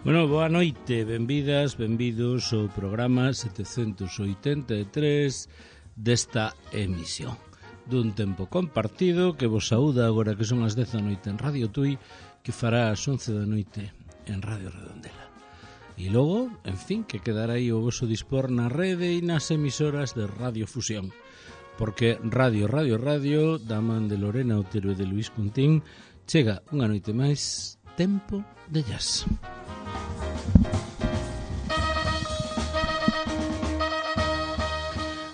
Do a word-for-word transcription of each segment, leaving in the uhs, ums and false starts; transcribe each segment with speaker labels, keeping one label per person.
Speaker 1: Bueno, boa noite, benvidas, benvidos ao programa setecentos oitenta e tres desta emisión dun tempo compartido que vos saúda agora que son as dez da noite en Radio Tui, que fará as once da noite en Radio Redondela. E logo, en fin, que quedará aí o voso dispor na rede e nas emisoras de Radio Fusión, porque Radio, Radio, Radio, da man de Lorena Otero e de Luis Cuntín, chega unha noite máis Tempo de Jazz.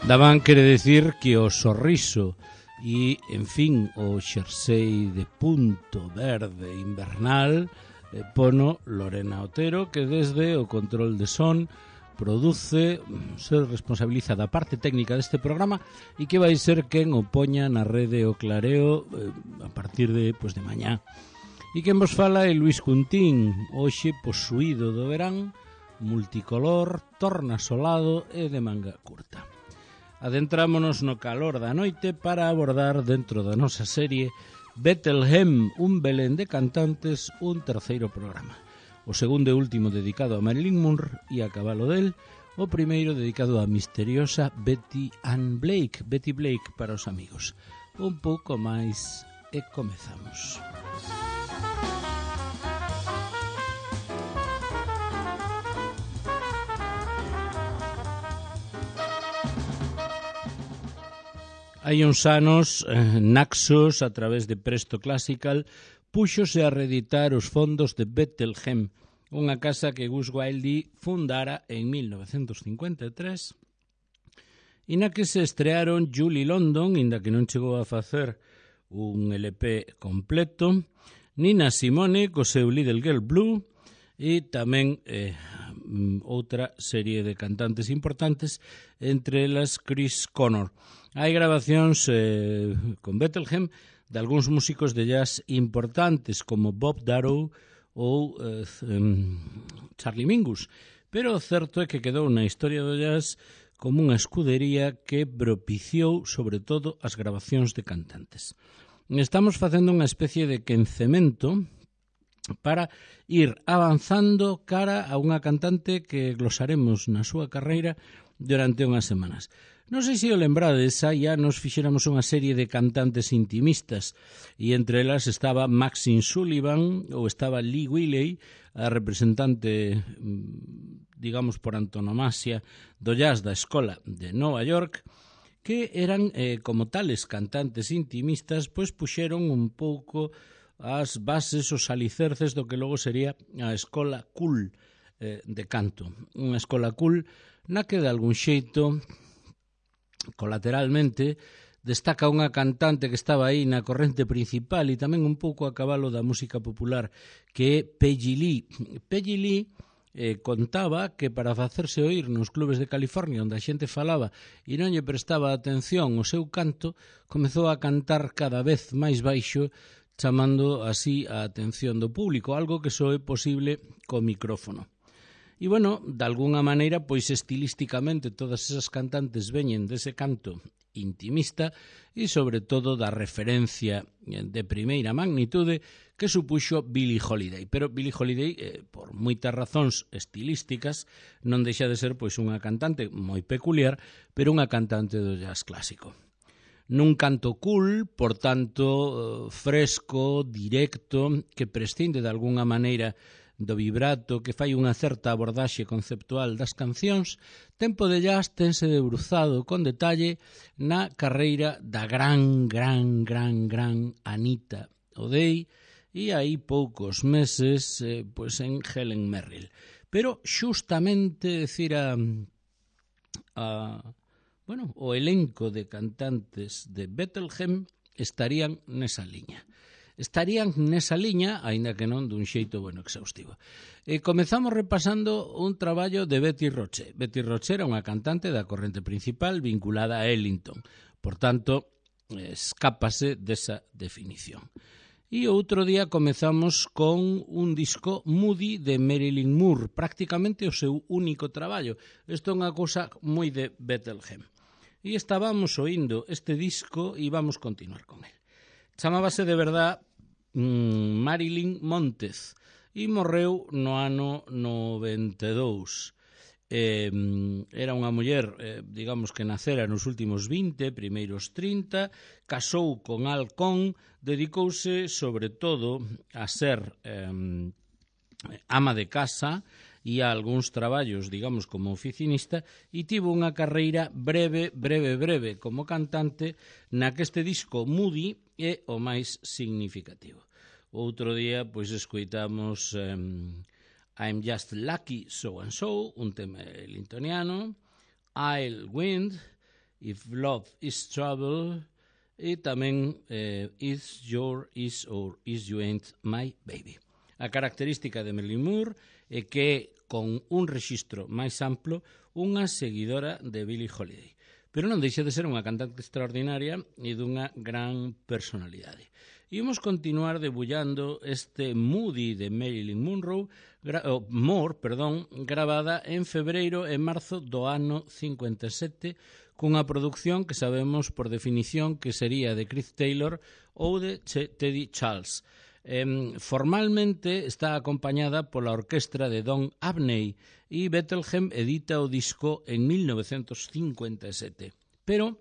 Speaker 1: Daban quere decir que o sorriso e, en fin, o xersei de punto verde invernal eh, pono Lorena Otero, que desde o control de son produce, se responsabiliza da parte técnica deste programa e que vai ser quen o poña na rede o clareo eh, a partir de, pues, de mañá. E quen vos fala é Luis Cuntín, hoxe posuído do verán, multicolor, tornasolado e de manga curta. Adentrámonos no calor da noite para abordar dentro da nosa serie Bethlehem, un Belén de cantantes, un terceiro programa. O segundo e último dedicado a Marilyn Monroe e a cabalo del, o primeiro dedicado a misteriosa Betty Ann Blake, Betty Blake para os amigos. Un pouco máis e comezamos. Hai uns anos, eh, Naxos, a través de Presto Classical, púxose a reeditar os fondos de Bethlehem, unha casa que Gus Wilde fundara en mil novecentos cincuenta e tres, e na que se estrearon Julie London, inda que non chegou a facer un L P completo, Nina Simone, co seu Little Girl Blue, e tamén eh, outra serie de cantantes importantes, entre elas Chris Connor. Hai grabacións eh, con Bethlehem de algúns músicos de jazz importantes como Bob Darrow ou eh, Charlie Mingus, pero o certo é que quedou na historia do jazz como unha escudería que propiciou sobre todo as grabacións de cantantes. Estamos facendo unha especie de quencemento para ir avanzando cara a unha cantante que glosaremos na súa carreira durante unhas semanas. Non sei se o lembrades, xa nos fixéramos unha serie de cantantes intimistas e entre elas estaba Maxine Sullivan ou estaba Lee Wiley, a representante, digamos por antonomasia, do jazz da escola de Nova York, que eran, eh, como tales cantantes intimistas, pois puxeron un pouco as bases, os alicerces do que logo sería a escola cool eh, de canto. Unha escola cool na que de algún xeito colateralmente destaca unha cantante que estaba aí na corrente principal e tamén un pouco a cabalo da música popular, que é Peggy Lee. Peggy Lee eh, contaba que para facerse oír nos clubes de California onde a xente falaba e non lle prestaba atención ao seu canto, comezou a cantar cada vez máis baixo, chamando así a atención do público, algo que só é posible co micrófono. E, bueno, de alguna maneira, pois estilísticamente todas esas cantantes veñen dese canto intimista e, sobre todo, da referencia de primeira magnitude que supuxo Billie Holiday. Pero Billie Holiday, eh, por moitas razóns estilísticas, non deixa de ser pois unha cantante moi peculiar, pero unha cantante do jazz clásico. Nun canto cool, por tanto, fresco, directo, que prescinde de alguna maneira do vibrato, que fai unha certa abordaxe conceptual das cancións, Tempo de Jazz tense debruzado con detalle na carreira da gran, gran, gran, gran Anita O'Day e aí poucos meses eh, pois en Helen Merrill. Pero xustamente, decir, a, a, bueno, o elenco de cantantes de Bethlehem estarían nesa liña. Estarían nesa liña, aínda que non dun xeito bueno exhaustivo. E comezamos repasando un traballo de Betty Roche. Betty Roche era unha cantante da corrente principal vinculada a Ellington. Por tanto, escápase desa definición. E outro día comezamos con un disco Moody de Marilyn Monroe, prácticamente o seu único traballo. Isto é unha cousa moi de Bethlehem. E estábamos oindo este disco e vamos continuar con el. Chamábase de verdad Marilyn Montez e morreu no ano noventa e dous. Eh, era unha muller, eh, digamos que nacera nos últimos vinte, primeiros trinta, casou con Alcón, dedicouse sobre todo a ser eh, ama de casa e a algúns traballos, digamos, como oficinista, e tivo unha carreira breve, breve, breve como cantante, na que este disco Moody é o máis significativo. Outro día, pois, escoitamos um, I'm Just Lucky So and So, un tema lintoniano, I'll Wind, If Love is Trouble, e tamén eh, Is Your Is or Is You Ain't My Baby. A característica de Marilyn Moore é que, con un rexistro máis amplo, unha seguidora de Billie Holiday. Pero non deixa de ser unha cantante extraordinaria e dunha gran personalidade. E vamos continuar debullando este Moody de Marilyn Monroe, gra oh, Moore, perdón, gravada en febreiro e marzo do ano cincuenta e sete, cunha produción que sabemos por definición que sería de Chris Taylor ou de Ch Teddy Charles. Eh, formalmente está acompañada pola orquestra de Don Abney e Bethlehem edita o disco en mil novecentos cincuenta e sete. Pero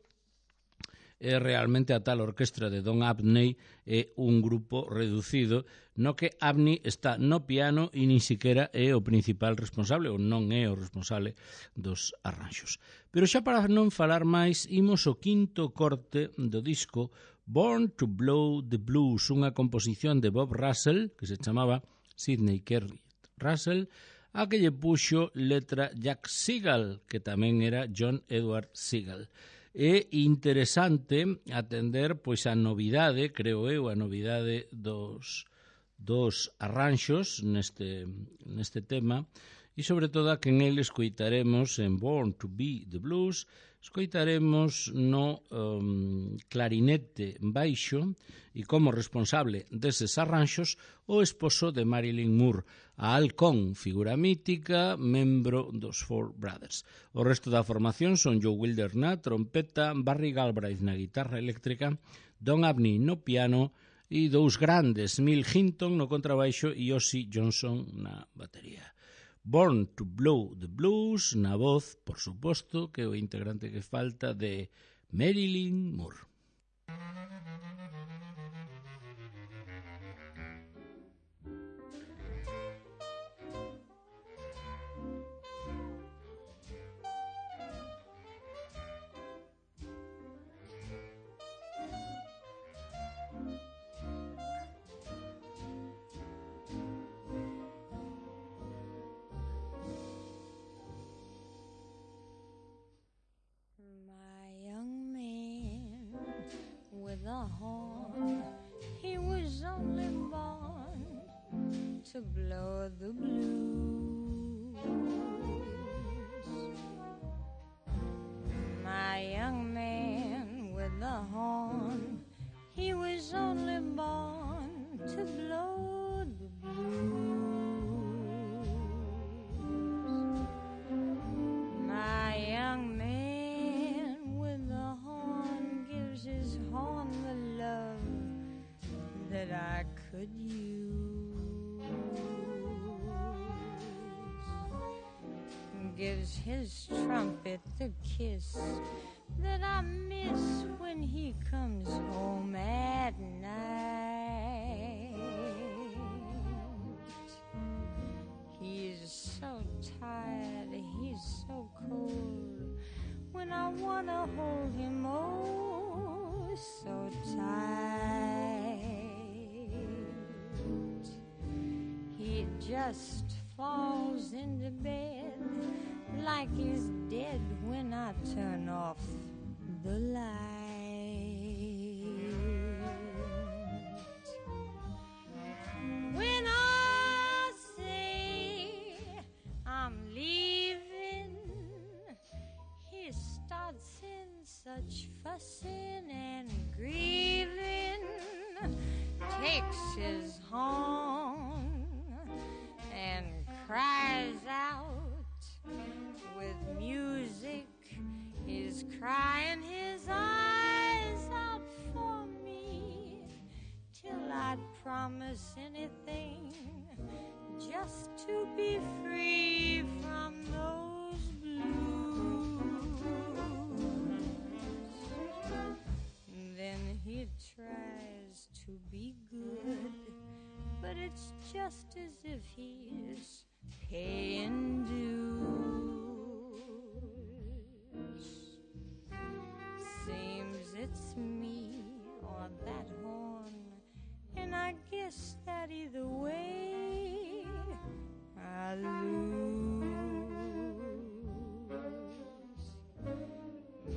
Speaker 1: é realmente a tal orquestra de Don Abney é un grupo reducido no que Abney está no piano e nin siquiera é o principal responsable ou non é o responsable dos arranxos. Pero xa para non falar máis, imos o quinto corte do disco Born to Blow the Blues, unha composición de Bob Russell, que se chamaba Sidney Kerry Russell, a que lle puxo letra Jack Segal, que tamén era John Edward Segal. É interesante atender pois a novidade, creo eu, a novidade dos, dos arranxos neste, neste tema, e sobre todo a que en ele escoitaremos en Born to Be the Blues, escoitaremos no um, clarinete baixo e como responsable deses arranxos o esposo de Marilyn Moore, a Alcón, figura mítica, membro dos Four Brothers. O resto da formación son Joe Wilder na trompeta, Barry Galbraith na guitarra eléctrica, Don Abney no piano e dous grandes, Mill Hinton no contrabaixo e Ossie Johnson na batería. Born to Blow the Blues, na voz, por suposto, que é o integrante que falta de Marilyn Moore.
Speaker 2: The horn, he was only born to blow the blues. My young man with the horn, he was only born to blow the blues. My young man with the horn gives his horn the love that I could use, gives his trumpet the kiss that I miss when he comes home at night. He's so tired, he's so cold, when I wanna hold him, oh, so tight. He just falls into bed like he's dead when I turn off the light. When I say I'm leaving, he starts in such fussing and grieving, takes his horn and cries out with music. He's crying his eyes out for me till I'd promise anything just to be free from those blues. Then he tries to be good, but it's just as if he's paying dues. Seems it's me or that horn, and I guess that either way I lose.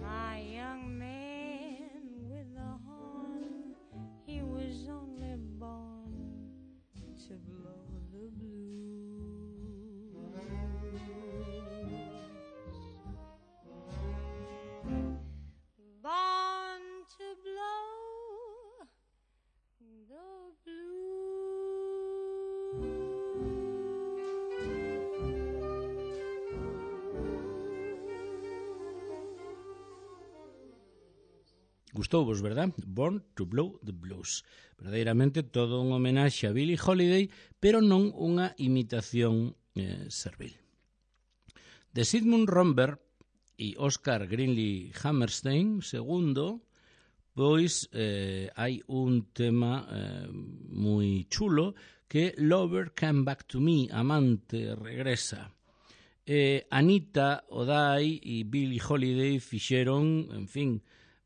Speaker 2: My young man with the horn, he was only born to blow the blues. Born to blow the
Speaker 1: Gustouvos, verdad? Born to Blow the Blues. Verdadeiramente todo un homenaxe a Billie Holiday, pero non unha imitación eh, servil. De Sigmund Romberg e Oscar Greenlee Hammerstein, segundo, pois eh, hai un tema eh, moi chulo que Lover Come Back to Me, Amante Regresa. Eh, Anita O'Day e Billie Holiday fixeron, en fin,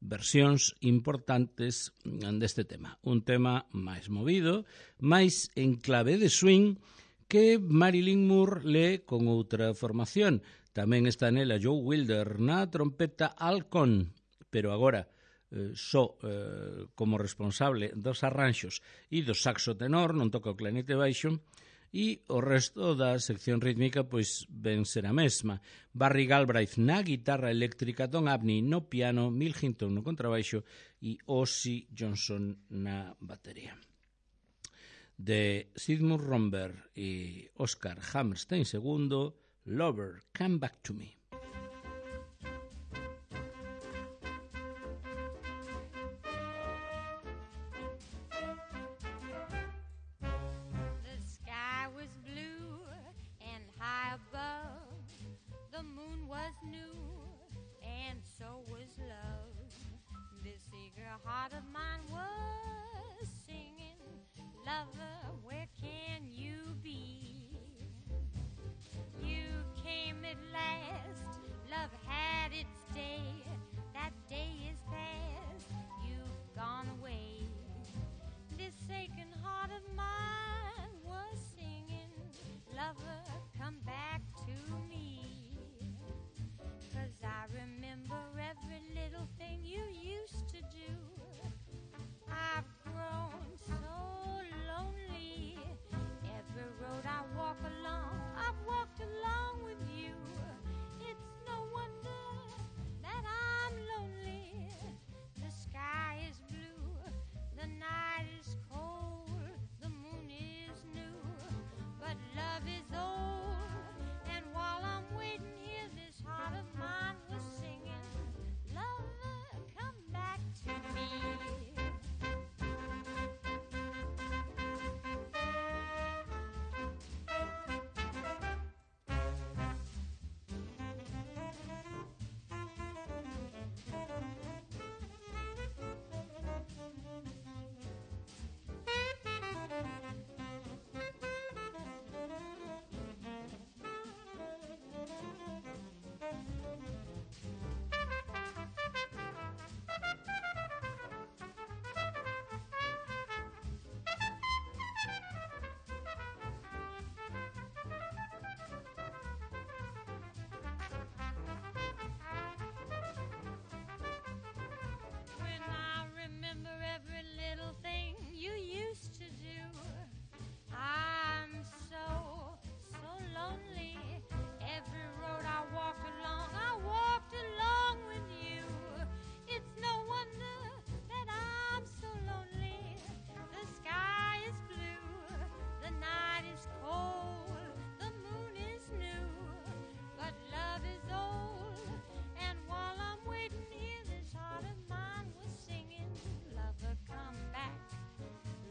Speaker 1: versións importantes deste tema. Un tema máis movido, máis en clave de swing, que Marilyn Moore lee con outra formación. Tamén está nela Joe Wilder na trompeta Alcon, pero agora eh, só eh, como responsable dos arranxos e do saxo tenor, non toca o clarinete baixo, e o resto da sección rítmica pois ben ser a mesma. Barry Galbraith na guitarra eléctrica, Don Abney no piano, Mill Hinton no contrabaixo e Ozzy Johnson na batería. De Sigmund Romberg e Oscar Hammerstein segundo, Lover, Come Back to Me.
Speaker 2: Heart of mine was singing, lover, where can you be? You came at last, love had its day, that day is past, you've gone away. This aching heart of mine was singing, lover, come back to me. 'Cause I remember every little thing you used to do. I've grown so lonely. Every road I walk along, I've walked along with you. It's no wonder that I'm lonely. The sky is blue, the night is cold, the moon is new, but love is old. And while I'm waiting here, this heart of mine was singing, lover, come back to me.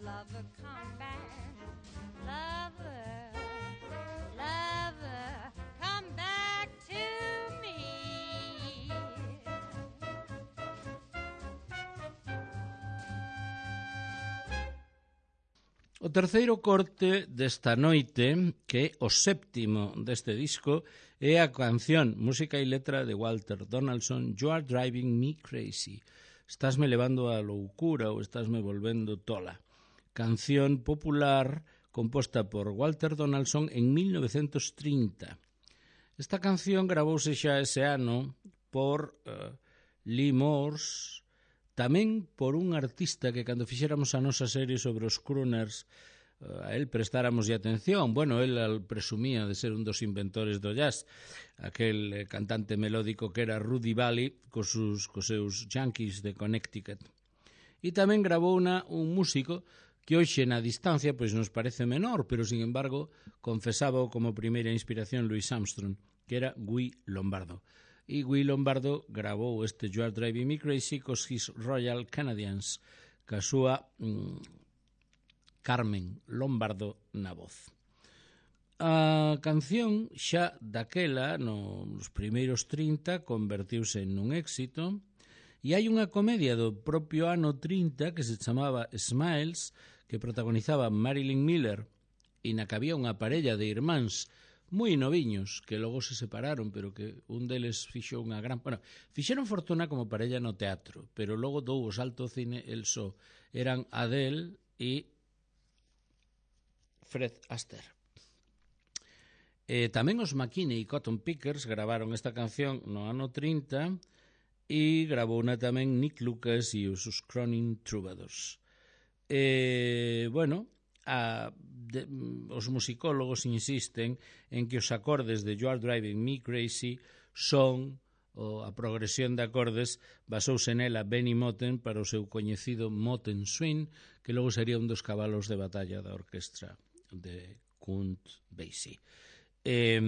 Speaker 2: Lover, come back, lover,
Speaker 1: O terceiro corte desta noite, que é o séptimo deste disco, é a canción, música e letra de Walter Donaldson, You Are Driving Me Crazy. Estásme levando á loucura ou estásme volvendo tola. Canción popular composta por Walter Donaldson en mil novecientos trinta. Esta canción gravouse xa ese ano por uh, Lee Morse, tamén por un artista que cando fixéramos a nosa serie sobre os crooners a él prestáramos atención. Bueno, él presumía de ser un dos inventores do jazz, aquel cantante melódico que era Rudy Vallee cos, sus, cos seus Yankees de Connecticut. E tamén gravou una, un músico que hoxe na distancia pois nos parece menor, pero sin embargo confesaba como primeira inspiración Louis Armstrong, que era Guy Lombardo. E Guy Lombardo gravou este You Are Driving Me Crazy cos His Royal Canadians, ca súa mm, Carmen Lombardo na voz. A canción xa daquela, no, nos primeiros trinta, convertiuse nun éxito, e hai unha comedia do propio ano trinta que se chamaba Smiles, que protagonizaba Marilyn Miller, e na que había unha parella de irmáns moi noviños, que logo se separaron, pero que un deles fixo unha gran... Bueno, fixeron fortuna como parella no teatro, pero logo dou o salto ao cine, el só. Eran Adele e Fred Astaire. E tamén os McKinney e Cotton Pickers gravaron esta canción no ano trinta e gravouna tamén Nick Lucas e os Cronin Troubadours. E, bueno... A, de, os musicólogos insisten en que os acordes de You Are Driving Me Crazy son o, a progresión de acordes basouse nela Benny Moten para o seu coñecido Moten Swing, que logo sería un dos cabalos de batalla da orquestra de Count Basie. Eh,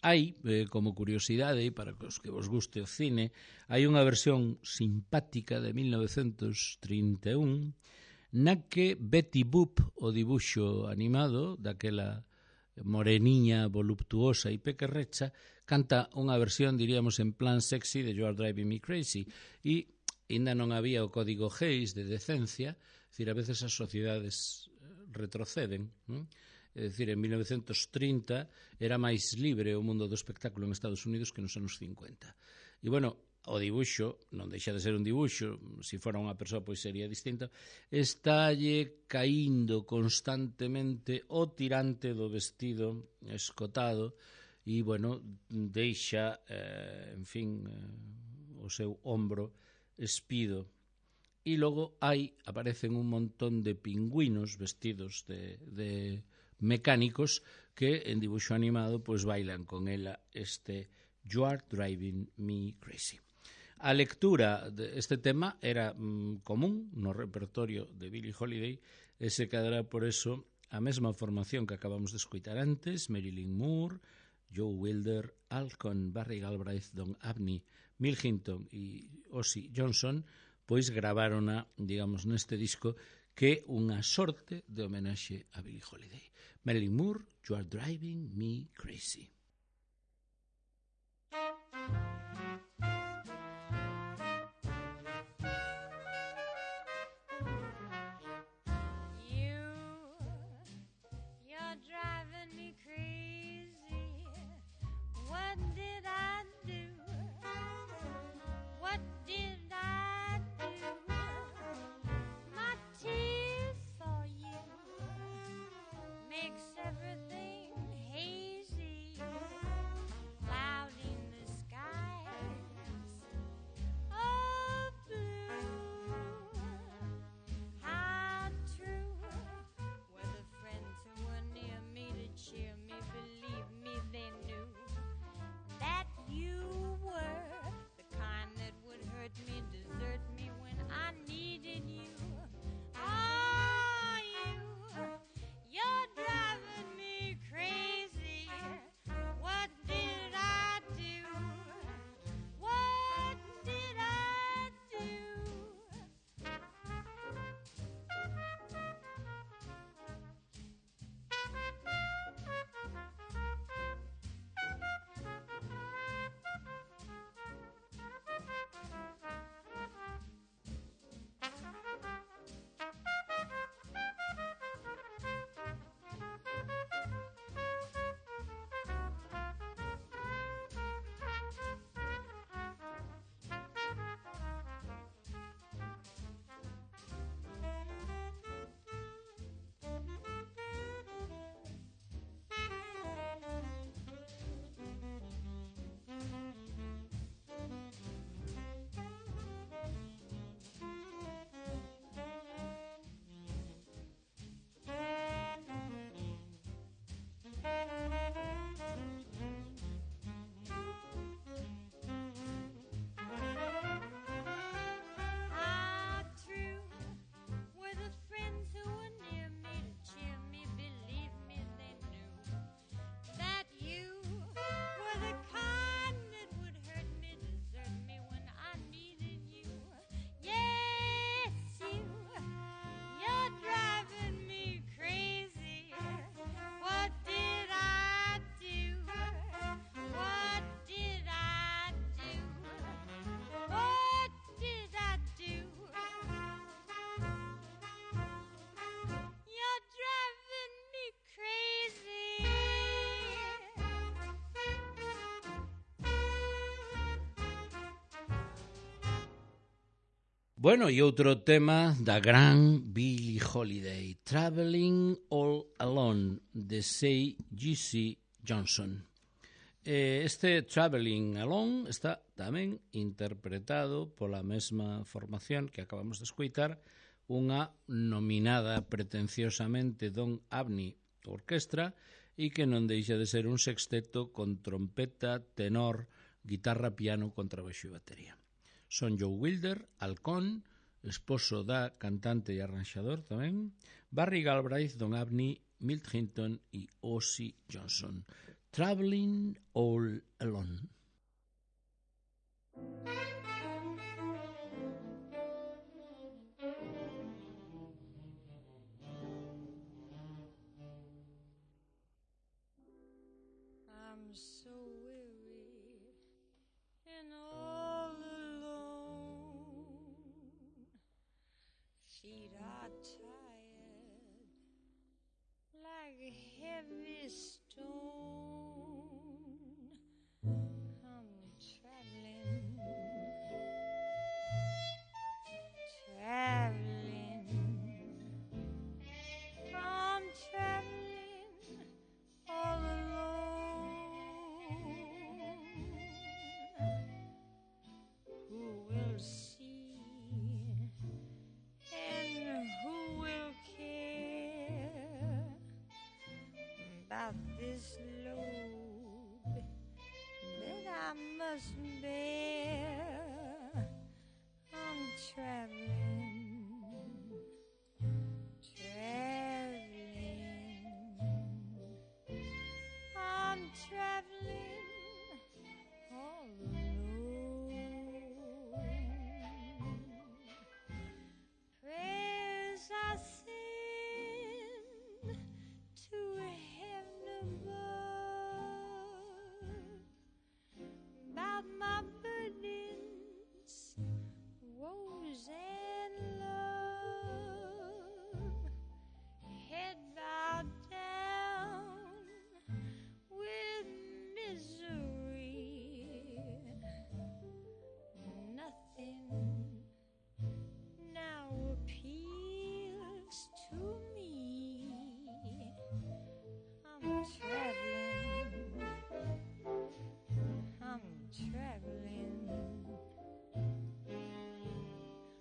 Speaker 1: hai, eh, como curiosidade, para os que vos guste o cine, hai unha versión simpática de mil novecentos trinta e un na que Betty Boop, o dibuixo animado daquela moreniña voluptuosa e pequerrecha, canta unha versión, diríamos, en plan sexy de You Are Driving Me Crazy, e ainda non había o código Hays de decencia, é dicir, a veces as sociedades retroceden, non? É dicir, en mil novecentos trinta era máis libre o mundo do espectáculo en Estados Unidos que nos anos cincuenta. E, bueno, o dibuixo, non deixa de ser un dibuixo, se fora unha persoa pois sería distinto, estálle caíndo constantemente o tirante do vestido escotado e, bueno, deixa, eh, en fin, eh, o seu ombro espido. E logo hai, aparecen un montón de pingüinos vestidos de, de mecánicos que en dibuixo animado pois bailan con ela este You Are Driving Me Crazy. A lectura deste tema era mm, común no repertorio de Billie Holiday e se quedará por eso a mesma formación que acabamos de escoitar antes, Marilyn Moore, Joe Wilder, Alcon, Barry Galbraith, Don Abney, Mill Hinton e Ozzy Johnson, pois gravarona, digamos, neste disco que é unha sorte de homenaxe a Billie Holiday. Marilyn Moore, You Are Driving Me Crazy.
Speaker 2: Everything hazy, cloud in the sky.
Speaker 1: Bueno, e outro tema da gran Billie Holiday, Traveling All Alone, de Say G C Johnson. Este Traveling Alone está tamén interpretado pola mesma formación que acabamos de escoitar, unha nominada pretenciosamente Don Abney Orquestra e que non deixa de ser un sexteto con trompeta, tenor, guitarra, piano, contrabaixo e batería. Son Joe Wilder, halcón, esposo da cantante e arranxador tamén, Barry Galbraith, Don Abney, Milt Hinton e Ozzy Johnson. Traveling All Alone.
Speaker 2: I'm so weary and all alone. Feet are tired like a heavy stone. I'm traveling, traveling. I'm traveling all alone. Who will see and who will care about this load that I must bear? I'm traveling, traveling. I'm traveling all alone. Prayers I send to heaven above about my burdens, woes and love. Head bowed down with misery. Nothing now appeals to me. I'm traveling, I'm traveling,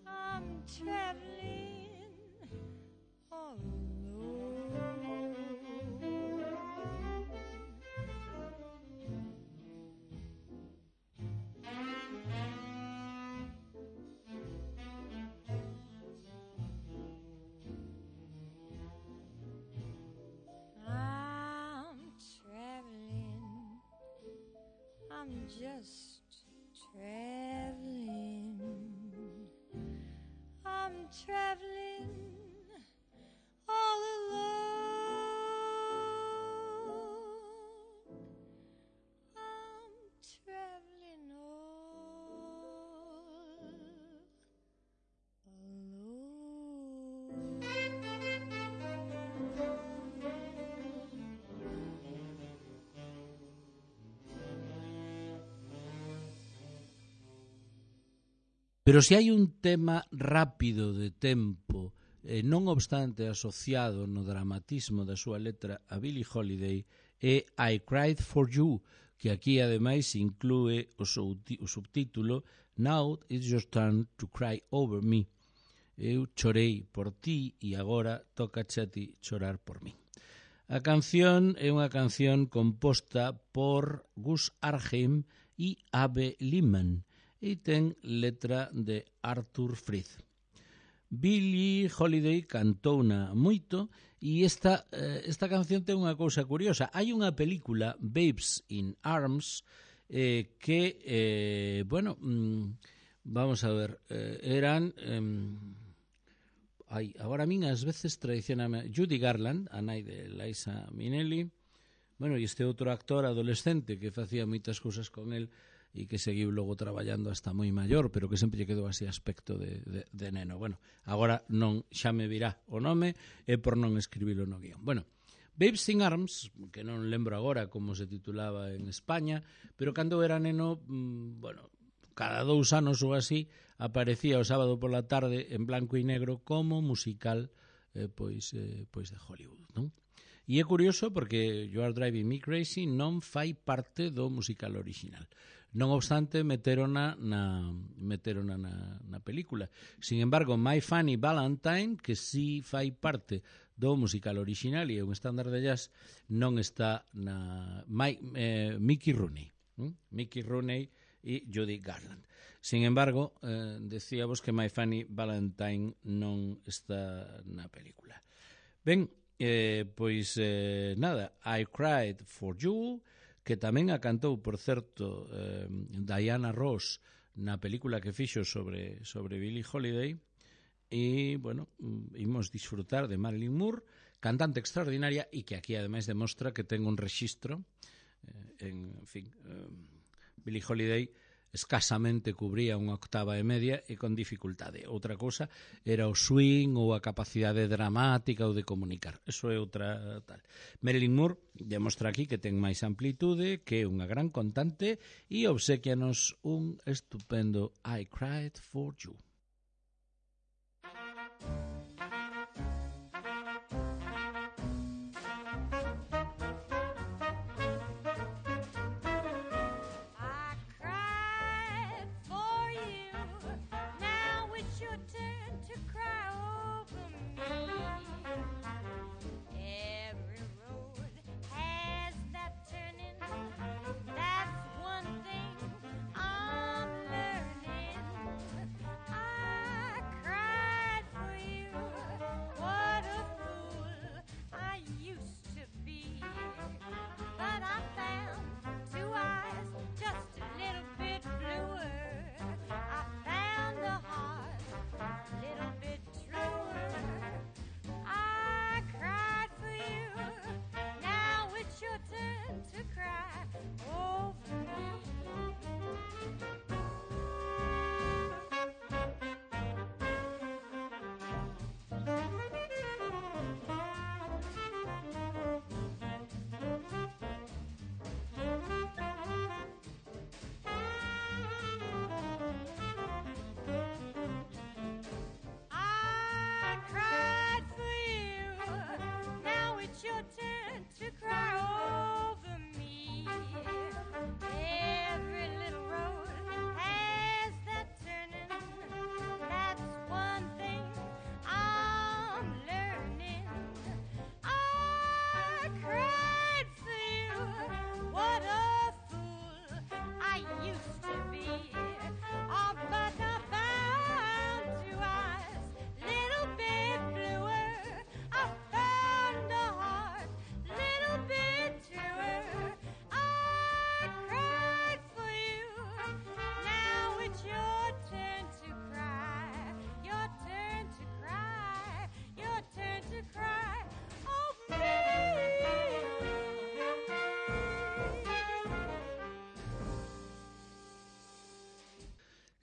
Speaker 2: I'm traveling all alone. I'm traveling, I'm just traveling, I'm traveling all alone. I'm traveling all
Speaker 1: Pero se hai un tema rápido de tempo, eh, non obstante asociado no dramatismo da súa letra a Billie Holiday, é I Cried for You, que aquí ademais inclúe o, o subtítulo Now it's your turn to cry over me. Eu chorei por ti e agora tocache a ti chorar por mí. A canción é unha canción composta por Gus Arheim e Abe Lyman e ten letra de Arthur Frith. Billie Holiday cantouna moito e esta, esta canción ten unha cousa curiosa. Hai unha película, Babes in Arms, eh, que, eh, bueno, mm, vamos a ver, eh, eran... Eh, Ai, agora a min ás veces traicioname Judy Garland, a nai de Liza Minnelli, bueno, e este outro actor adolescente que facía moitas cousas con el e que seguiu logo traballando hasta moi maior, pero que sempre lle quedou así aspecto de, de, de neno. Bueno, agora non xa me virá o nome e por non escribilo no guión. Bueno, Babes in Arms, que non lembro agora como se titulaba en España, pero cando era neno, mmm, bueno, cada dous anos ou así aparecía o sábado pola tarde en blanco e negro como musical eh, pois, eh, pois de Hollywood, non? E é curioso porque You Are Driving Me Crazy non fai parte do musical original. Non obstante, meterona na, meterona na, na película. Sin embargo, My Funny Valentine, que sí fai parte do musical original e é un estándar de jazz, non está na My, eh, Mickey Rooney. ¿Mm? Mickey Rooney e Judy Garland. Sin embargo, eh, decíamos que My Funny Valentine non está na película. Ben, eh, pois eh, nada, I Cried for You, que tamén a cantou, por certo, eh, Diana Ross na película que fixo sobre, sobre Billie Holiday, e, bueno, imos disfrutar de Marilyn Moore, cantante extraordinaria e que aquí ademais demostra que ten un rexistro, eh, en, en fin, eh, Billie Holiday escasamente cubría unha octava e media e con dificultade. Outra cousa era o swing ou a capacidade dramática ou de comunicar. Eso é outra tal. Marilyn Moore demostra aquí que ten máis amplitude, que é unha gran cantante e obsequianos un estupendo I Cried for You.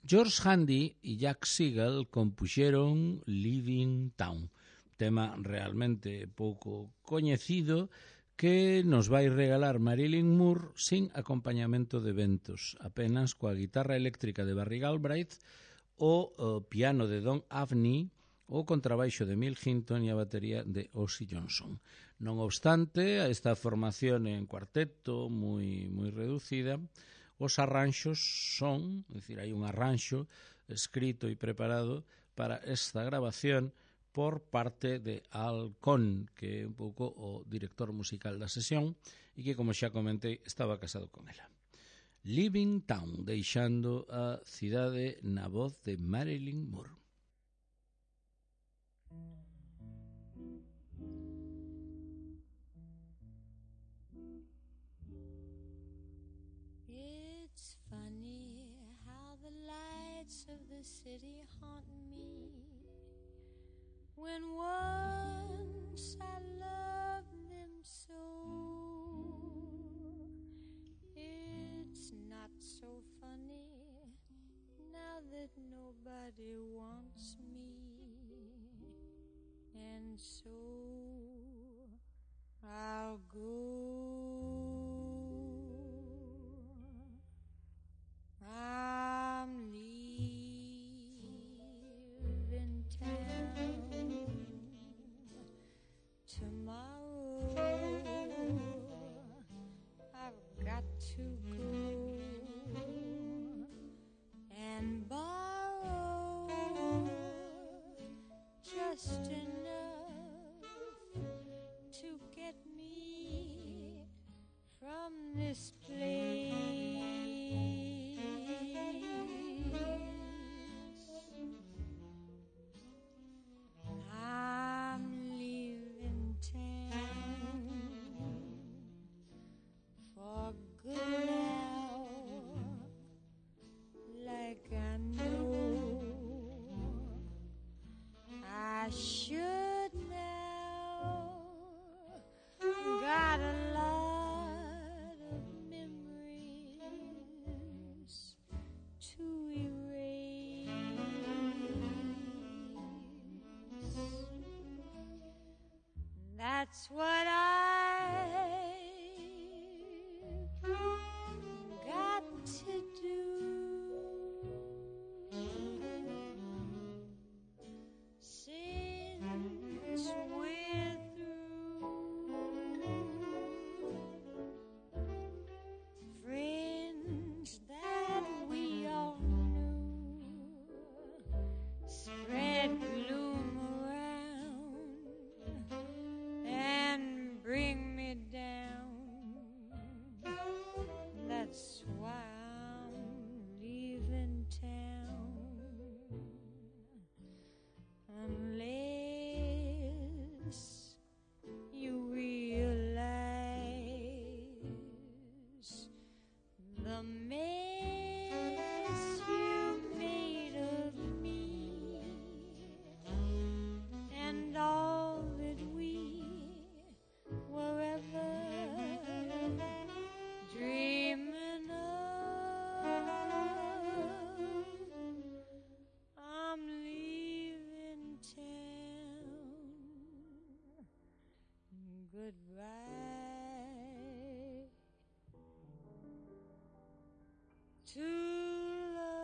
Speaker 1: George Handy e Jack Siegel compuxeron Living Town, tema realmente pouco coñecido que nos vai regalar Marilyn Moore sin acompañamento de ventos, apenas coa guitarra eléctrica de Barry Galbraith, o, o piano de Don Avni, o contrabaixo de Mill Hinton e a batería de Ozzy Johnson. Non obstante, a esta formación en cuarteto moi, moi reducida, os arranxos son, é dicir, hai un arranxo escrito e preparado para esta grabación por parte de Al Cohn, que é un pouco o director musical da sesión e que, como xa comentei, estaba casado con ela. Living Town, deixando a cidade na voz de Marilyn Moore.
Speaker 2: It's funny how the lights of the city haunt me. When once I loved them so, it's not so funny now that nobody wants me. And so I'll go. I'm goodbye to love.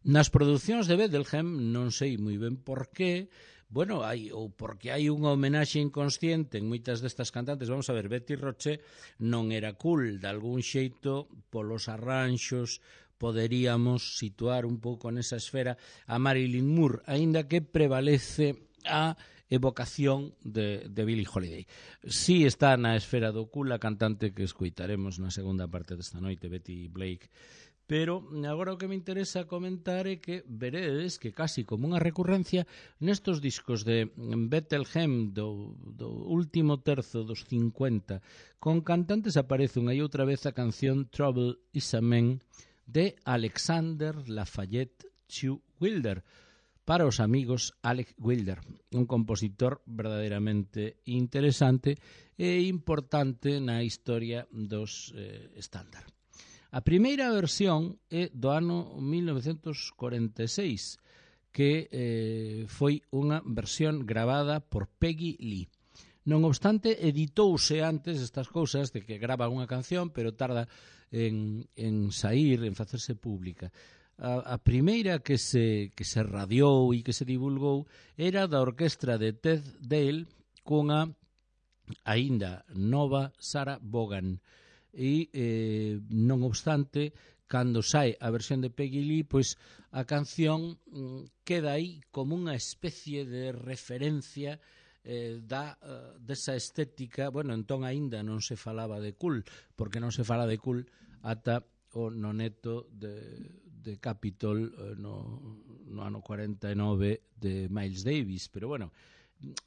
Speaker 1: Nas producións de Bettelheim, non sei moi ben por qué, bueno, hai, ou porque hai unha homenaxe inconsciente en moitas destas cantantes. Vamos a ver, Betty Roche non era cool, de algún xeito, polos arranxos, poderíamos situar un pouco nesa esfera a Marilyn Moore, aínda que prevalece a evocación de, de Billie Holiday. Si está na esfera do cool a cantante que escoitaremos na segunda parte desta noite, Betty Blake. Pero agora o que me interesa comentar é que veredes que casi como unha recurrencia nestos discos de Bettelheim do, do último terzo dos cincuenta con cantantes aparece unha e outra vez a canción Trouble is a Man de Alexander Lafayette Chu Wilder, para os amigos Alec Wilder, un compositor verdadeiramente interesante e importante na historia dos eh, estándar. A primeira versión é do ano mil novecentos cuarenta e seis, que eh, foi unha versión gravada por Peggy Lee. Non obstante, editouse antes estas cousas de que grava unha canción, pero tarda en, en sair, en facerse pública. A, a primeira que se, que se radiou e que se divulgou era da orquestra de Ted Dale cunha aínda nova Sarah Vaughan. E, eh, non obstante, cando sai a versión de Peggy Lee, pois a canción mm, queda aí como unha especie de referencia eh, da, uh, desa estética. Bueno, entón aínda non se falaba de cool, porque non se fala de cool ata o noneto de, de Capitol eh, no, no ano cuarenta e nove de Miles Davis, pero bueno,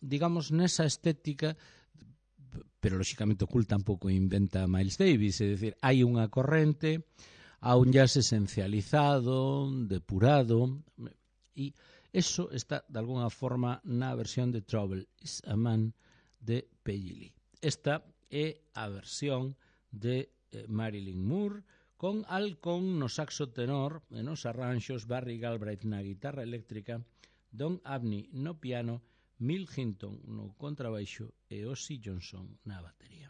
Speaker 1: digamos nesa estética. Pero lóxicamente o cool tampouco inventa Miles Davis, é dicir, hai unha corrente, a un jazz esencializado, depurado, e eso está de alguna forma na versión de Trouble is a Man de Peggy Lee. Esta é a versión de eh, Marilyn Moore con Alcón no saxo tenor e nos arranxos, Barry Galbraith na guitarra eléctrica, Don Abney no piano, Mill Hinton no contrabaixo e Ozzy Johnson na batería.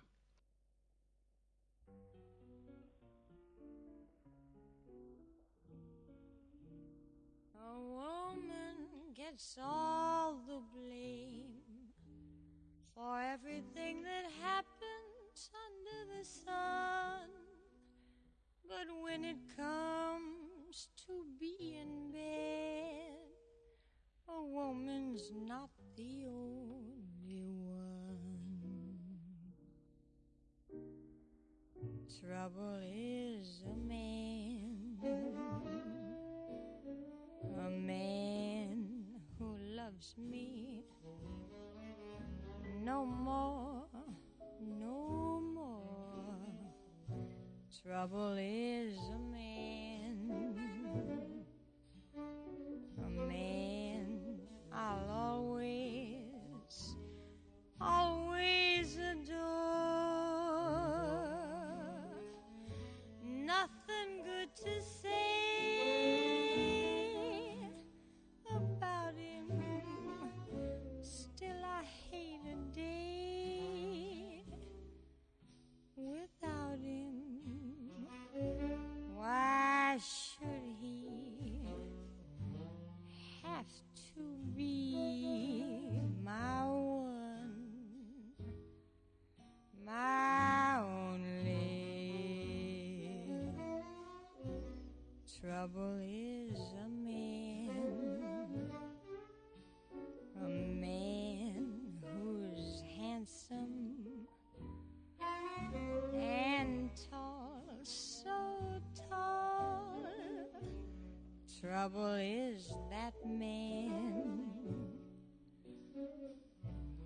Speaker 2: A woman gets all the blame for everything that happens under the sun. But when it comes to being bad, a woman's not the only one. Trouble is a man, a man who loves me no more, no more. Trouble is a man, a man I'll always, always adore. Nothing good to say about him, still I hate a day without him. Why should he have to be my one, my only? Trouble is a man, a man who's handsome and tall, so tall. Trouble is that man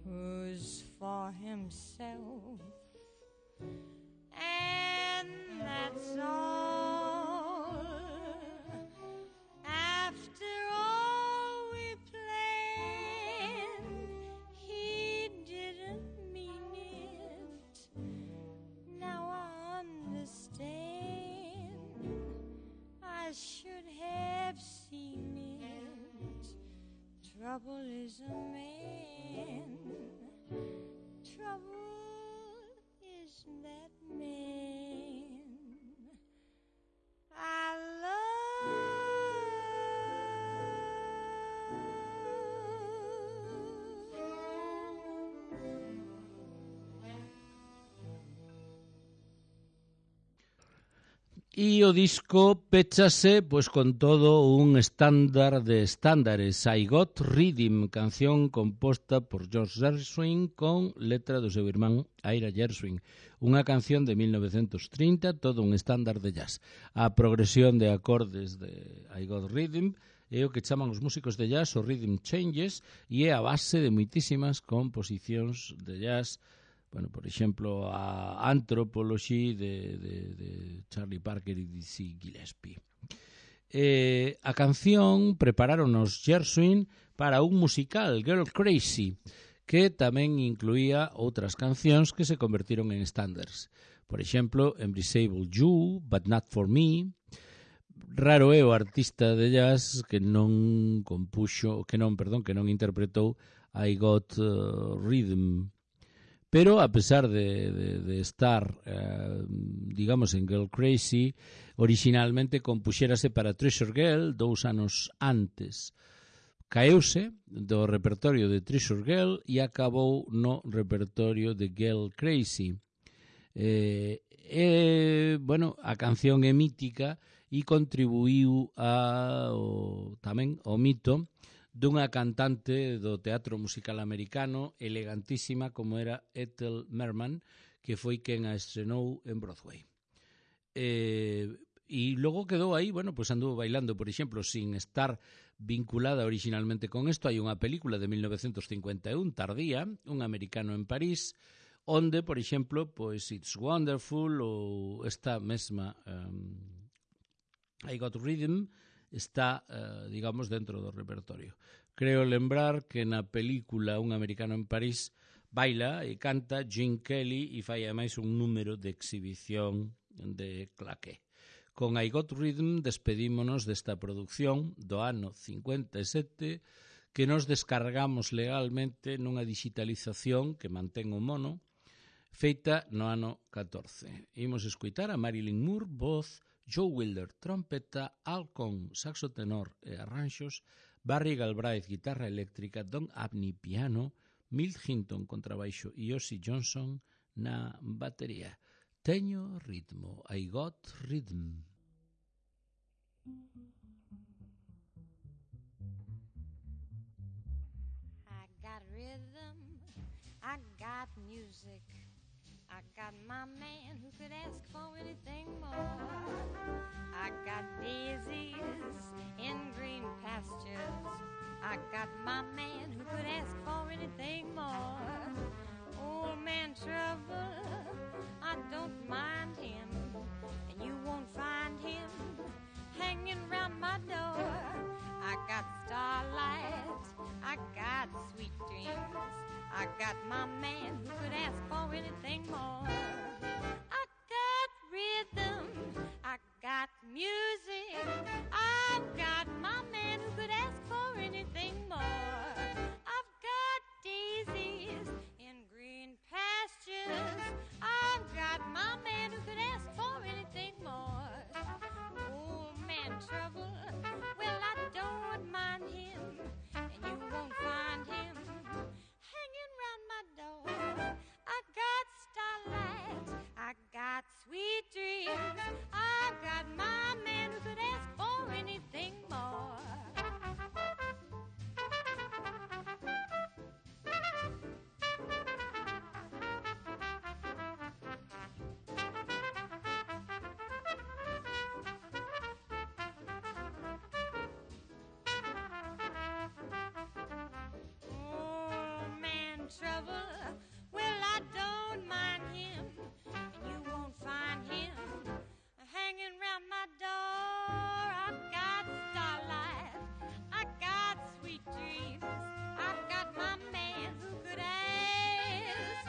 Speaker 2: who's for himself, and that's all. After all we planned, he did is a man. Trouble is that man I love.
Speaker 1: E o disco péchase pois con todo un estándar de estándares, I Got Rhythm, canción composta por George Gershwin con letra do seu irmán Ira Gershwin, unha canción de mil novecentos trinta, todo un estándar de jazz. A progresión de acordes de I Got Rhythm é o que chaman os músicos de jazz o rhythm changes e é a base de moitísimas composicións de jazz. Bueno, por exemplo, a Anthropology de, de, de Charlie Parker e Dizzy Gillespie. Eh, a canción prepararon os Gershwin para un musical, Girl Crazy, que tamén incluía outras cancións que se convertiron en estándares. Por exemplo, Embraceable You, But Not For Me. Raro é o artista de jazz que non compuxo, que non, perdón, que non interpretou I Got uh, Rhythm. Pero, a pesar de, de, de estar, eh, digamos, en Girl Crazy, originalmente compuxérase para Treasure Girl dous anos antes. Caeuse do repertorio de Treasure Girl e acabou no repertorio de Girl Crazy. Eh, eh, bueno, a canción é mítica e contribuiu a, o, tamén ao mito dunha cantante do teatro musical americano elegantísima como era Ethel Merman, que foi quen a estrenou en Broadway. Eh, e logo quedou aí, bueno, pues anduvo bailando, por exemplo, sin estar vinculada originalmente con isto. Hai unha película de mil novecentos cincuenta e un, tardía, Un americano en París, onde, por exemplo, pues It's Wonderful ou esta mesma um, I Got Rhythm está, eh, digamos, dentro do repertorio. Creo lembrar que na película Un americano en París baila e canta Gene Kelly e fai ademais un número de exhibición de claqué. Con I Got Rhythm despedímonos desta produción do ano cincuenta e sete que nos descargamos legalmente nunha digitalización que mantén o mono feita no ano catorce. Imos escoitar a Marilyn Moore, voz, Joe Wilder, trompeta, Al Cohn, saxo tenor e arranxos, Barry Galbraith, guitarra eléctrica, Don Abney, piano, Milt Hinton, contrabaixo e Ossie Johnson na batería. Teño ritmo, I Got Rhythm.
Speaker 2: I got rhythm, I got music, I got my man who could ask for anything more. I got daisies in green pastures, I got my man who could ask for anything more. Old man Trouble, I don't mind him, and you won't find him hanging round my door. I got starlight, I got sweet dreams, I got my man who could ask for anything more. I got rhythm, I got music, I've got my man who could ask for anything more. I've got daisies in green pastures, I've got my man who could ask for anything more. Old man Trouble, well, I don't mind him, and you won't find him hanging round my door. I got starlight, I got sweet dreams, I got my man who could ask for anything more. Trouble, well, I don't mind him, and you won't find him hanging round my door. I got starlight, I got sweet dreams, I got my man who could ask,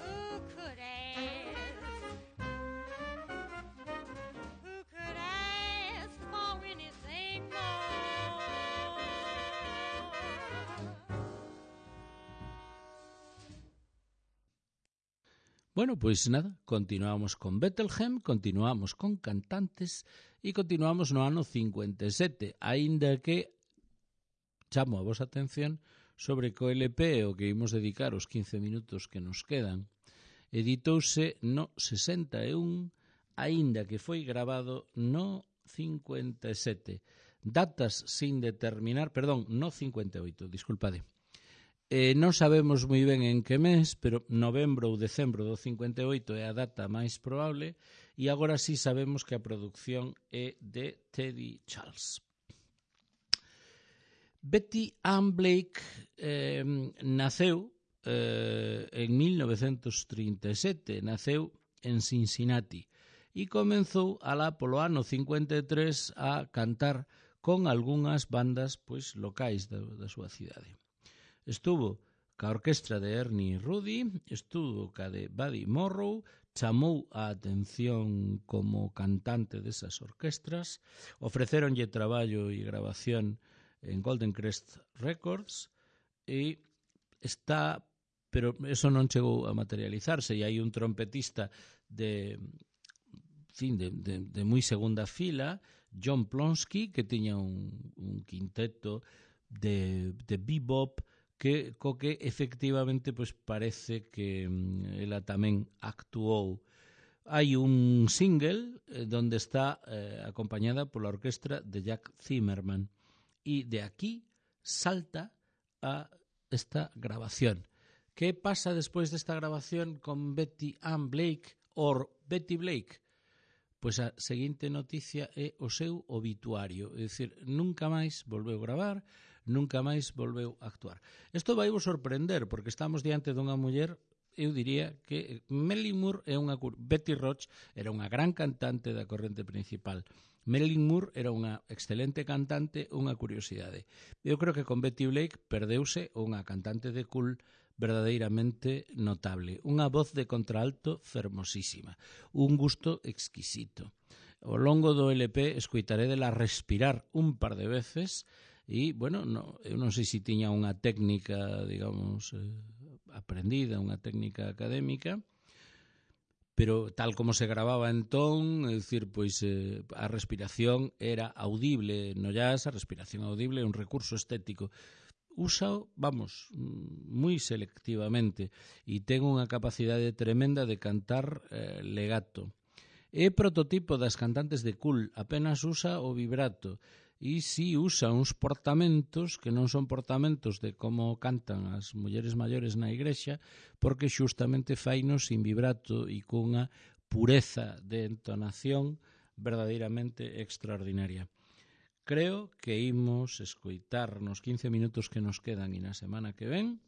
Speaker 2: who could ask, who could ask for anything more.
Speaker 1: Bueno, pois nada, continuamos con Bethlehem, continuamos con cantantes e continuamos no ano cincuenta e sete, aínda que chamo a vosa atención sobre que o L P o que imos dedicar os quince minutos que nos quedan editouse no sesenta e un, aínda que foi grabado no cincuenta e sete. Datas sin determinar, perdón, no cincuenta e oito, disculpade. Eh, non sabemos moi ben en que mes, pero novembro ou decembro do cincuenta e oito é a data máis probable, e agora sí sabemos que a produción é de Teddy Charles. Betty Ann Blake eh, naceu eh, en mil novecentos trinta e sete, naceu en Cincinnati e comenzou alá polo ano cincuenta e tres a cantar con algunhas bandas pois locais da, da súa cidade. Estuvo ca orquestra de Ernie Rudy, estuvo ca de Buddy Morrow, chamou a atención como cantante desas orquestras, ofrecéronlle traballo e grabación en Golden Crest Records e está, pero eso non chegou a materializarse, e hai un trompetista de, fin, de, de, de moi segunda fila, John Plonsky, que tiña un, un quinteto de, de bebop, que co que efectivamente pois parece que ela tamén actuou. Hai un single eh, donde está eh, acompañada pola orquestra de Jack Zimmerman e de aquí salta a esta grabación. Que pasa despois desta grabación con Betty Ann Blake or Betty Blake? Pois a seguinte noticia é o seu obituario, é dicir, nunca máis volveu gravar, nunca máis volveu actuar. Isto vai vos sorprender, porque estamos diante dunha muller, eu diría que Marilyn Moore é unha... Betty Roach era unha gran cantante da corrente principal. Marilyn Moore era unha excelente cantante, unha curiosidade. Eu creo que con Betty Blake perdeuse unha cantante de cool verdadeiramente notable, unha voz de contralto fermosísima, un gusto exquisito. Ao longo do L P escoitaré dela respirar un par de veces e, bueno, no, eu non sei se tiña unha técnica, digamos, eh, aprendida, unha técnica académica, pero tal como se grababa entón, é dicir, pois eh, a respiración era audible no jazz, a respiración audible é un recurso estético. Úsao, vamos, moi selectivamente e ten unha capacidade tremenda de cantar eh, legato. É prototipo das cantantes de cool, apenas usa o vibrato e si usa uns portamentos que non son portamentos de como cantan as mulleres maiores na igrexa, porque xustamente fainos sin vibrato e cunha pureza de entonación verdadeiramente extraordinaria. Creo que imos escoitar nos quince minutos que nos quedan e na semana que ven,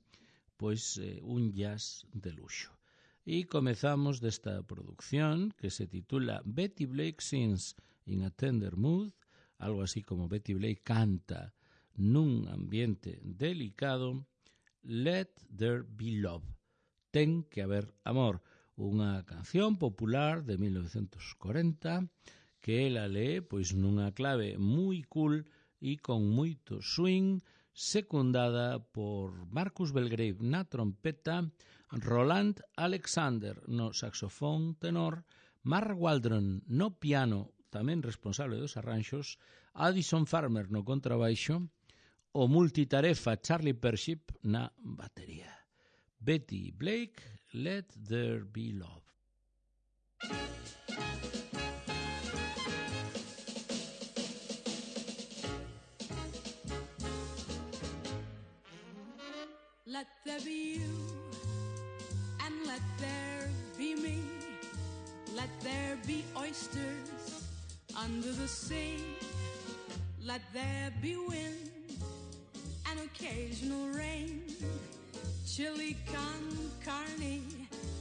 Speaker 1: pois eh, un jazz de luxo. E comezamos desta producción que se titula Betty Blake Sings in a Tender Mood, algo así como Betty Blake canta nun ambiente delicado, Let There Be Love, ten que haber amor, unha canción popular de mil novecentos corenta, que ela lee pois nunha clave moi cool e con moito swing, secundada por Marcus Belgrave na trompeta, Roland Alexander no saxofón tenor, Mark Waldron no piano, tamén responsable dos arranxos, Addison Farmer no contrabaixo, o multitarefa Charlie Pership na batería. Betty Blake, Let There Be Love.
Speaker 3: Let there be you, and let there be me. Let there be oysters under the sea. Let there be wind and occasional rain, chili con carne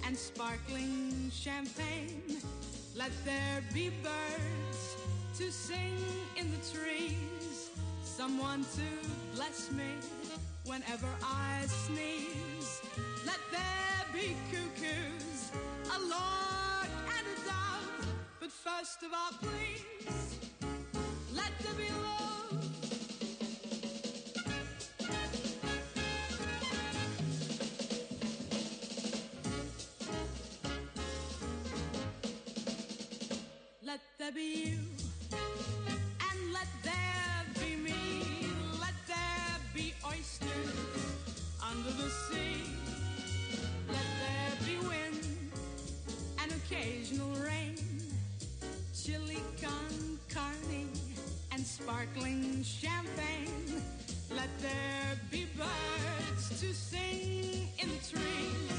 Speaker 3: and sparkling champagne. Let there be birds to sing in the trees, someone to bless me whenever I sneeze. Let there be cuckoos, a lark and a dove, but first of all, please, let there be love. there be you, and let there be me. Let there be oysters under the sea. Let there be wind and occasional rain, chili con carne and sparkling champagne. Let there be birds to sing in the trees,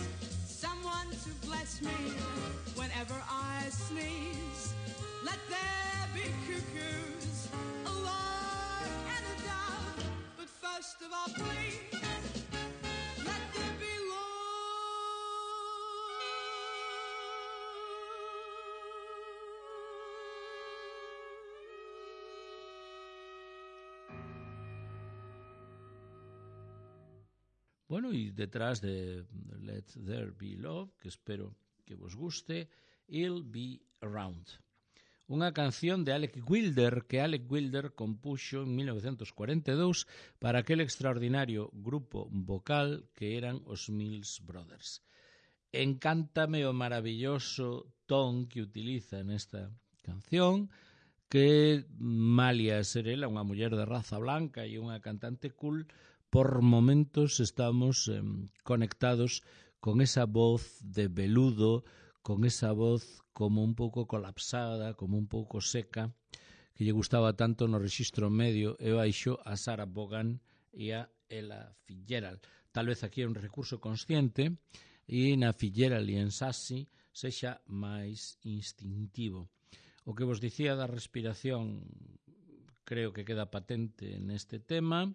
Speaker 3: someone to bless me whenever I sneeze. Let there be cuckoos, a lark and a dove, but first of all, please, let there be love.
Speaker 1: Bueno, y detrás de Let There Be Love, que espero que vos guste, I'll Be Around. Unha canción de Alec Wilder que Alec Wilder compuxo en mil novecientos cuarenta e dous para aquel extraordinario grupo vocal que eran os Mills Brothers. Encántame o maravilloso ton que utiliza nesta canción, que malia ser ela unha muller de raza blanca e unha cantante cool, por momentos estamos eh, conectados con esa voz de veludo, con esa voz como un pouco colapsada, como un pouco seca, que lle gustaba tanto no rexistro medio e baixo a Sarah Vaughan e a Ella Fitzgerald. Tal vez aquí é un recurso consciente e na Fitzgerald e en Sassy sexa máis instintivo. O que vos dicía da respiración creo que queda patente neste tema.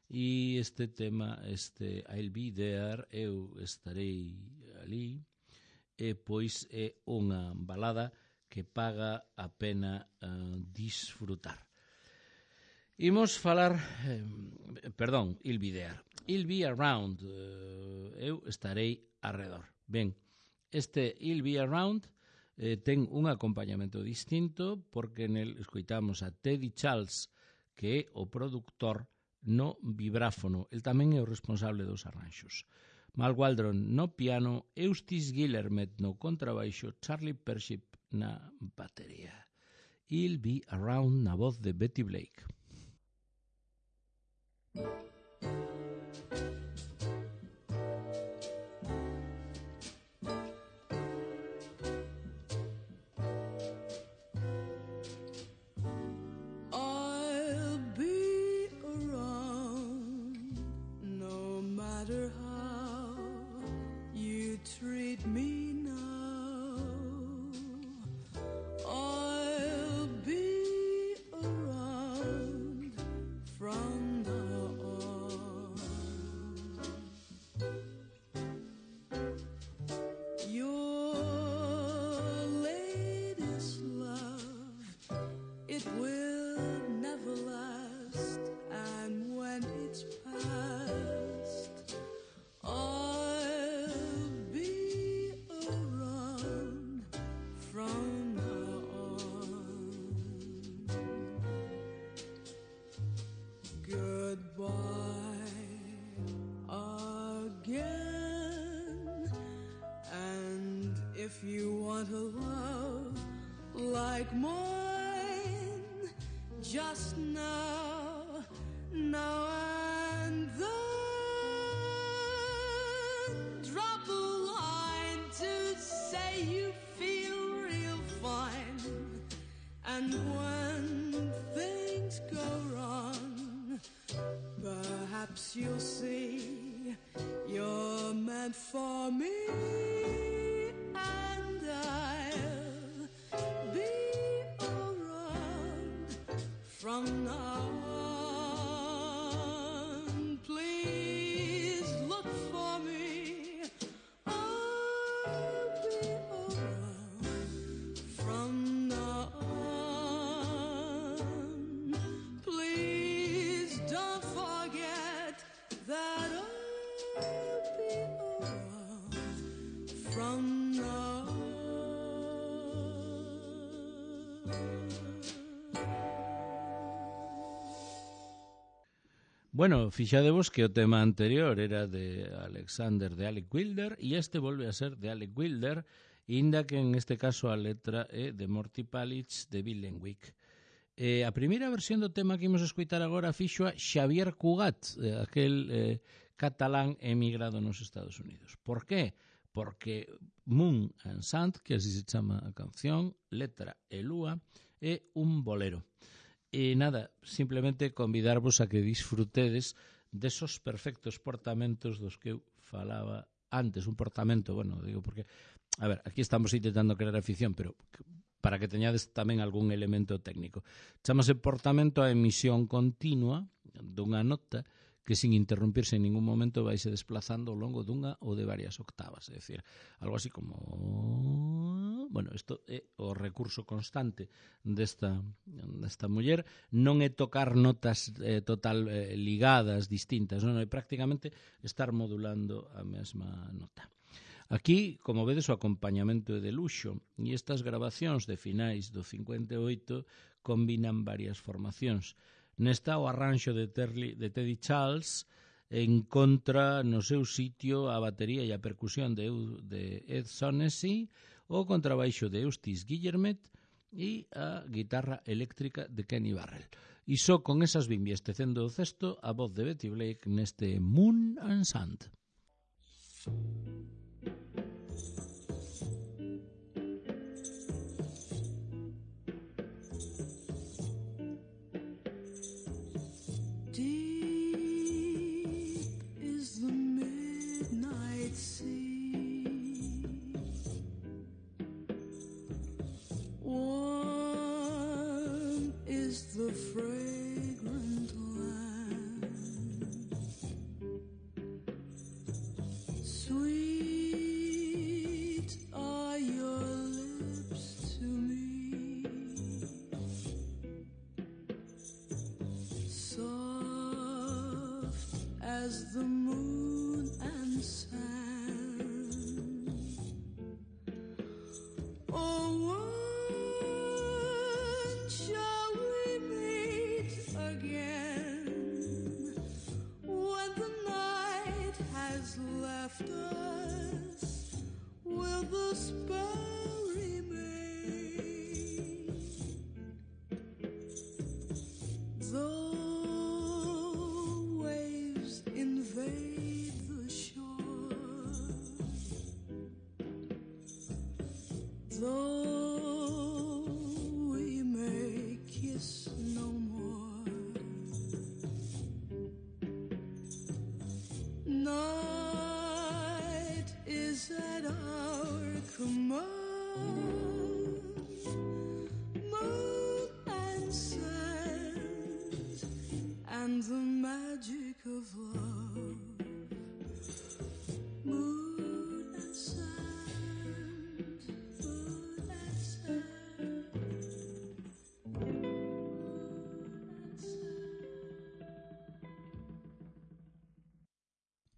Speaker 1: E este tema, este I'll Be There, eu estarei ali, e pois é unha balada que paga a pena uh, disfrutar. Imos falar, eh, perdón, I'll Be There, I'll Be Around, uh, eu estarei arredor. Ben, este I'll Be Around eh, ten un acompañamento distinto porque nel escoitamos a Teddy Charles, que é o produtor no vibráfono. El tamén é o responsable dos arranxos. Mal Waldron no piano, Eustace Guillermet no contrabaixo, Charlie Pership na batería. I'll Be Around na voz de Betty Blake.
Speaker 3: If you want a love like mine, just now, now and then, drop a line to say you feel real fine. And when things go wrong, perhaps you'll see you're meant for me. From now on, please look for me. I'll be around. From now on, please don't forget that I'll be around. From now on.
Speaker 1: Bueno, fixadevos que o tema anterior era de Alexander de Alec Wilder e este volve a ser de Alec Wilder inda que en este caso a letra é de Morty Palitz de Bill Lenwick. Eh, a primeira versión do tema que imos escoitar agora fixo a Xavier Cugat, eh, aquel eh, catalán emigrado nos Estados Unidos. Por qué? Porque Moon and Sand, que así se chama a canción, letra e lúa, é un bolero. E nada, simplemente convidarvos a que disfrutedes desos perfectos portamentos dos que eu falaba antes. Un portamento, bueno, digo porque, a ver, aquí estamos intentando crear afición, pero para que teñades tamén algún elemento técnico. Chámase portamento a emisión continua dunha nota que sin interrumpirse en ningún momento vaise desplazando ao longo dunha ou de varias octavas. É dicir, algo así como... Bueno, isto é o recurso constante desta, desta muller. Non é tocar notas eh, total eh, ligadas, distintas, non é prácticamente estar modulando a mesma nota. Aquí, como vedes, o acompañamento é de luxo e estas grabacións de finais do cincuenta e oito combinan varias formacións. Nesta o arranxo de, Terli, de Teddy Charles encontra no seu sitio a batería e a percusión de, de Ed Sonessy, o contrabaixo de Eustace Guillermet e a guitarra eléctrica de Kenny Barrell. E só con esas bimbias tecendo o cesto a voz de Betty Blake neste Moon and Sand.
Speaker 3: The fragrant land, sweet are your lips to me, soft as the moon and sand. Oh, left us, will the spell remain? Though waves invade the shore, though we may kiss no more, no is at our command. Moon and sand, and the magic of love. Moon and sand, moon and sand, moon and sand.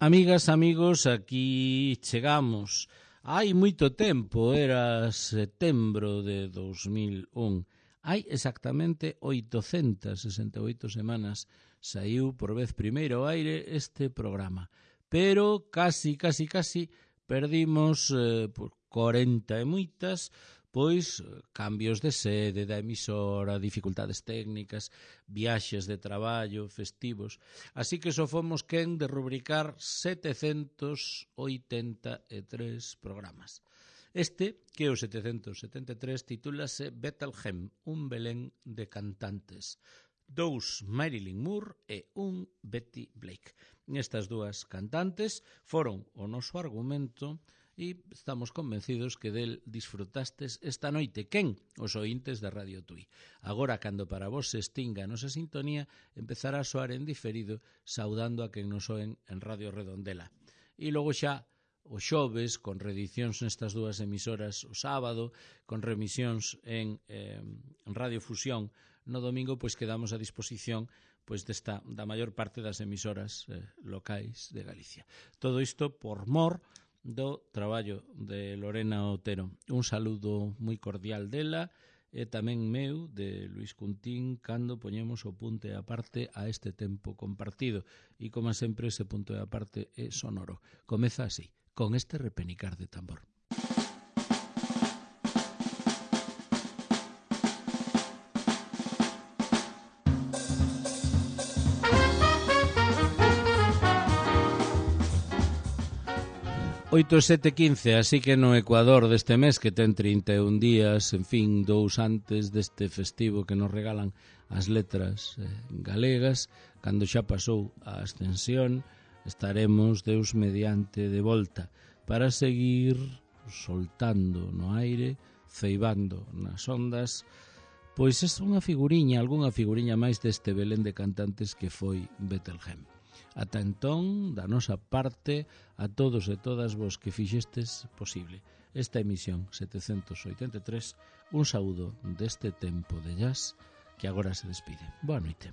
Speaker 1: Amigas, amigos, aquí chegamos. Hai moito tempo, era setembro de dos mil un. Hai exactamente oitocentas sesenta e oito semanas saiu por vez primeiro ao aire este programa. Pero casi, casi, casi perdimos eh, por corenta e moitas, pois cambios de sede da emisora, dificultades técnicas, viaxes de traballo, festivos. Así que só fomos quen de rubricar setecentos oitenta e tres programas. Este, que é o setecentos setenta e tres, titúlase Bethlehem, un Belén de cantantes. Dous Marilyn Moore e un Betty Blake. Estas dúas cantantes foron o noso argumento e estamos convencidos que del disfrutastes esta noite. Quen? Os ointes de Radio Tui. Agora, cando para vos se extinga a nosa sintonía, empezará a soar en diferido, saudando a quen nos oen en Radio Redondela. E logo xa, o xoves, con reedicións nestas dúas emisoras o sábado, con remisións en, eh, en Radio Fusión no domingo, pois quedamos a disposición pois desta, da maior parte das emisoras eh, locais de Galicia. Todo isto por mor do traballo de Lorena Otero. Un saludo moi cordial dela e tamén meu, de Luis Cuntín, cando poñemos o punto e aparte a este tempo compartido. E, como sempre, ese punto e aparte é sonoro. Comeza así, con este repenicar de tambor. oito, sete, quince, así que no Ecuador deste mes, que ten trinta e un días, en fin, dous antes deste festivo que nos regalan as letras eh, galegas, cando xa pasou a ascensión, estaremos, Deus mediante, de volta para seguir soltando no aire, ceibando nas ondas, pois é unha figuriña, algunha figuriña máis deste Belén de cantantes que foi Betelgeum. Ata entón, da nosa parte, a todos e todas vos que fixestes posible esta emisión setecentos oitenta e tres, un saúdo deste tempo de jazz que agora se despide. Boa noite.